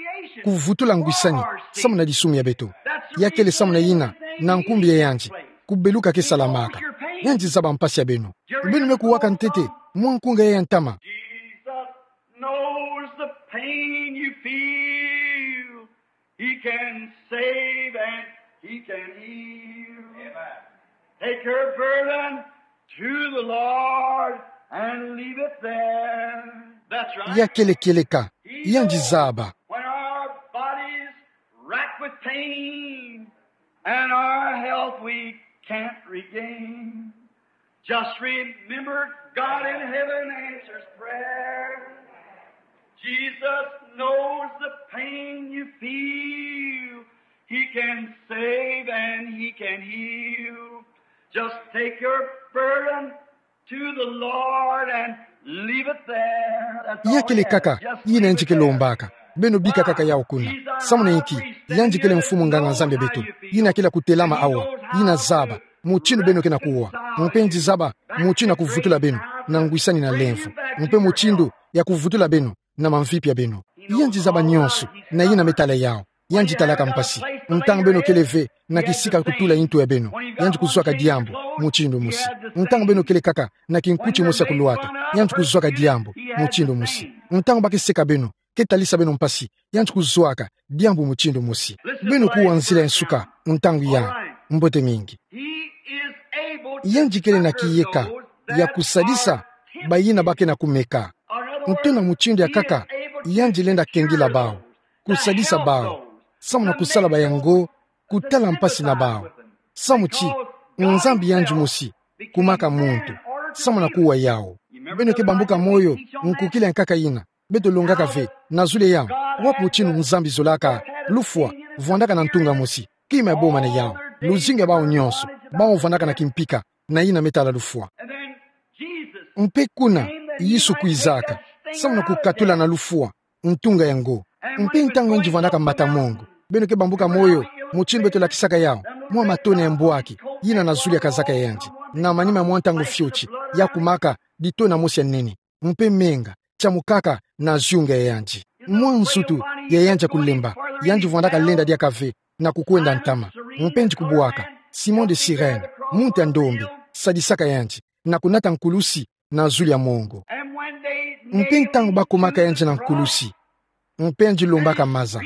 kuvutula ngwisani samu na disumu ya beto. Ya kele samu na yina, na nkumbu ya yandi, kubeluka ke salamaka. Yandi zaba mpasi ya beno. Beno me kuwaka ntete mwa nkunga ya ntama. Jesus knows the pain you feel. He can save and he can heal. Amen. Take your burden to the Lord and leave it there. That's right. Ya kele kieleka, yandi zaba. When our bodies racked with pain and our health we can't regain, just remember God in heaven answers prayer. Jesus knows the pain you feel. He can save and he can heal. Just take your burden to the Lord and leave it there. That's all. Ya kele kaka yina yandi ke lombaka. Beno bika kaka yawu kuna. Samu na inki? Yandi kele mfumu nganga-Nzambi ya beto, yina kele kutelama awa, yina zaba mutindu beno ke na kuwa. Mpe yandi zaba mutindu ya kuvutula beno na ngwisani na lemvo, mpe mutindu ya kuvutula beno na mamvipi ya beno. Yandi zaba nyonso, na yina me tala yawu. Yandi talaka mpasi. Ntangu beno kele ve na kisika kutula ntu ya beno, yandi kuzwaka diambu mutindu mosi. Ntangu beno kele kaka na kinkuti mosi ya kulwata, yandi kuzwaka diambu mutindu mosi. Ntangu ba ke seka beno, ke talisa beno mpasi, yandi kuzwaka diambu mutindu mosi. Beno kuwa nzila ya nsuka ntangu yayi. Mbote mingi. Yandi kele na kiyeka ya kusadisa bayina ba ke na kumeka. Ntona mutindu ya kaka, yandi lenda kengila bawu, kusadisa bawu samu na kusala bayango kutala mpasi na bawu. Samu ti Nzambi yandi mosi kumaka muntu samu na kuwa yawu. Beno ke bambuka moyo nkukila ya nkaka yina beto longaka ve na zulu ya yawu. Wapi mutindu Nzambi zolaka lufwa vwandaka na ntunga mosi kima ya boma na yawu, luzingu ya bawu nyonso Bawu vwandaka na kimpika, na yina me tala lufwa. Mpe kuna, Yesu kwizaka, samu na kukatula na lufwa ntunga yango. Mpe ntangu yandi vwandaka mbata mongo, beno ke bambuka moyo, mutindu beto lakisaka yawu, mwa matone ya mbwaki, yina na zulu ya kazaka ya yandi, na manima ya mwa ntangu fioti, ya kumaka ditona mosi ya nene. Mpe menga, tiamukaka na zunga ya yandi. Mwa nsutu ya yandi ya kulemba, yandi vwandaka lenda diaka ve, na kukwenda ntama. Mpe nje kubwaka, Simon de Cyrène, muntu ya ndombe, sadisaka yandi, na kunata nkulusi na zulu ya mongo. Mpe ntangu bakumaka yandi na nkulusi, mpe yandi lombaka maza.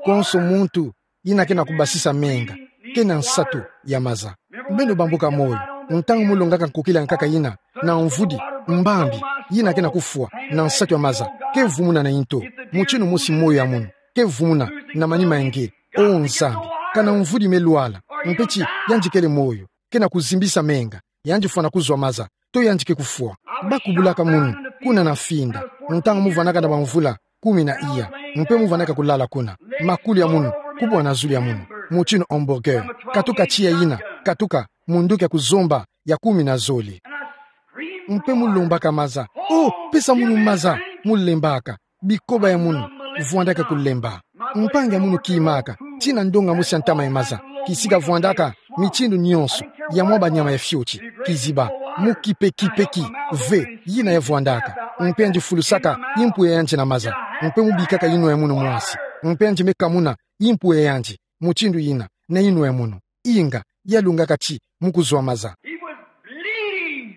Konso muntu yina ke na kubasisa menga, ke na nsatu ya maza. Beno bambuka moyo, ntangu mu longaka nkokila nkaka yina, na mvudi, mbambi, yina ke na kufwa, na nsatu ya maza, ke vumuna na nto, mutindu mosi moyo ya munu, ke vumuna, na manima ya nge, O Nzambi, kana mvudi me lwala, mpe ti, yandi kele moyo, ke na kuzimbisa menga, yandi fwana kuzwa maza, to yandi ke kufwa. Bakubulaka munu, kuna na Finda, ntangu mu vwandaka na bamvula kumi na iya, mpe mu vwandaka kulala kuna. Makulu ya munu, kubwa na zulu ya munu, mutindu hamburger, katuka tiya yina, katuka, munduki ya kuzomba, ya kumi na zole. Mpe mu lombaka maza, O, pesa munu maza, mu lembaka. Bikoba ya munu, vwandaka kulemba. Mpangi ya munu kimaka, tina ndonga mosi ya ntama ya maza, kisika vwandaka, mitindu nyonso, ya mwa banyama ya fioti, kiziba, mu kipekipeki, ve, yina ya vwandaka, mpe yandi fulusaka, yimpu ya yandi na maza, mpe mu bikaka yinwa ya munu mwasi, mpe yandi me kamuna, yimpu ya yandi, mutindu yina, na yinwa ya munu. Inga, ya longaka ti, mu kuzwa maza. He was bleeding.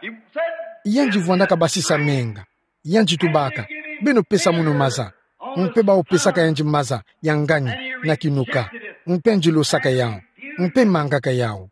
He said, Yandi vwandaka basisa menga. Yandi tubaka, beno pesa munu maza. Mpe bawu pesaka yandi maza, ya ngani, na kinuka. Mpe yandi losaka yawu. Mpe mangaka yawu.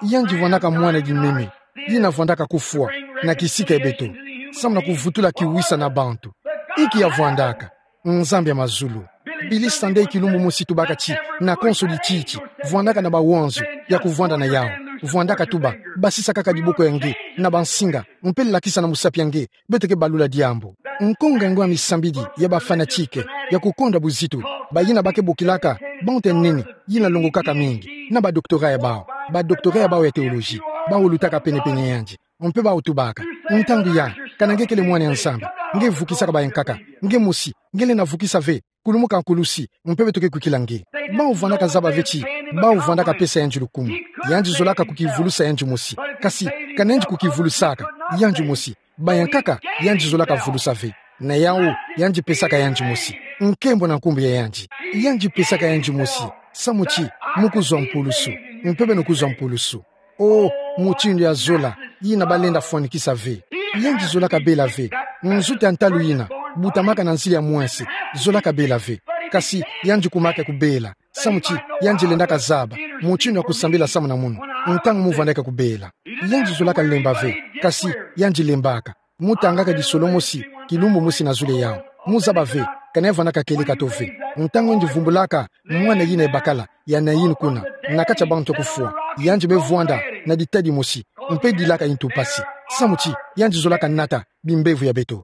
Yandi vwandaka mwana dimeme, yina vwandaka kufwa, na kisika ya beto. Samu na kuvutula kiwisa na bantu. Inki ya vwandaka. Nzambi ya mazulu. Billy Sunday kilumbu mosi tubaka ti, na konso dititi, vwandaka na bawanzu, ya kuvwanda na yawu. Vwandaka tuba, basisa kaka diboko ya nge, na bansinga, mpe lakisa na musapi ya nge, beto ke balula diambu. Nkonga yango ya misambidi, ya ba fanatique, ya kukonda buzitu, bayina ba ke bokilaka, bantu ya nene, yina longokaka mingi, na ba doctorat ya bawu, ba doctorat ya bawu ya théologie, bawu lutaka penepene ya yandi. Mpe bawu tubaka. Ntangu ya, kana nge kele mwana ya Nzambi, nge vukisaka bayankaka, nge mosi, nge lenda vukisa ve, kulumuka nkulusi, mpe beto ke kwikila nge. Bawu vwandaka zaba ve ti, bawu vwandaka pesa yandi lukumu. Yandi zolaka kukivulusa yandi mosi. Kasi, kana yandi kukivulusaka, yandi mosi. Bayankaka, yandi zolaka vulusa ve. Na yawu, yandi pesaka yandi mosi. Nkembo na nkumbu ya yandi. Yandi pesaka yandi mosi. Samu ti, mu kuzwa mpulusu. Mpe beno kuzwa mpulusu. O, mutindu ya zola, yina balenda fwanikisa ve. Yandi zolaka bela ve. Nzutu ya ntalu yina, butamaka na nzila ya mwense, zolaka bela ve. Kasi, yandi kumaka kubela. Samu ti, yandi lendaka zaba, mutindu ya kusambila samu na munu. Ntangu mu vwandaka kubela. Yandi zolaka lemba ve. Kasi, yandi lembaka. Mu tangaka disolo mosi, kilumbu mosi na zulu ya yawu. Mu zaba ve, kana ya vwandaka kieleka to ve. Ntangu yandi vumbulaka, mwana yina ya bakala, ya Naïn kuna, na kati ya bantu ya kufwa. Yandi me vwanda, na ditadi mosi, mpe dilaka yintu mpasi. Samu ti, yandi zolaka nata, bimbevo ya beto.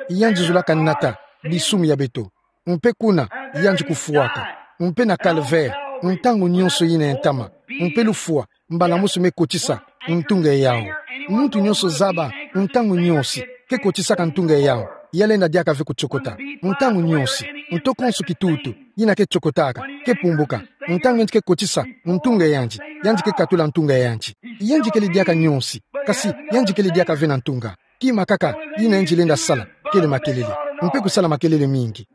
Yandi zolaka nata, disumu ya beto. Mpe kuna, yandi kufwaka. Mpe na calvaire, ntangu nyonso yina ya ntama. Mpe lufwa, mbala mosi me kotisa, ntunga ya yawu. Muntu nyonso zaba, ntangu nyonso, ke kotisaka ntunga ya yawu. Ya lenda diaka ve kutiokota. Ntangu nyonso, nto konso kitutu, yina ke tiokotaka, ke pumbuka. Ntangu yandi ke kotisa, ntunga ya yandi. Yandi ke katula ntunga ya yandi. Yandi kele diaka nyonso, kasi, yandi kele diaka ve na ntunga. Kima kaka, yina yandi lenda sala, kele makelele. Mpe kusala makelele mingi.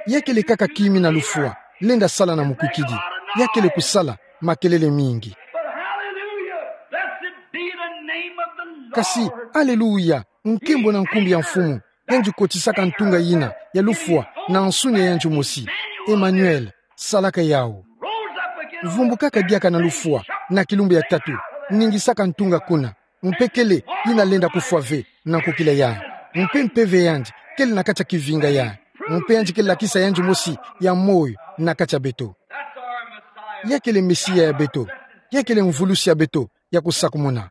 Ya kele kaka kima na lufwa, lenda sala na mukwikidi. Ya kele kusala, makelele mingi. But hallelujah, blessed be the name of the Lord. Kasi, aleluya, nkembo na nkumbu ya Mfumu, yandi kotisaka ntunga yina, ya lufwa, na nsuni ya yandi mosi. Emmanuel, salaka yawu. Rose up again. Vumbukaka diaka na lufwa, na kilumbu ya tatu, ningisaka ntunga kuna. Mpe kele, yina lenda kufwa ve, na nkokila yayi. Mpe mpeve ya yandi, kele na kati ya kivinga yayi. Mpe yandi ke lakisa yandi mosi, ya moyo, na kati ya beto. Ya kele Mesia ya beto. Ya kele mvulusi ya beto, ya kusakumuna.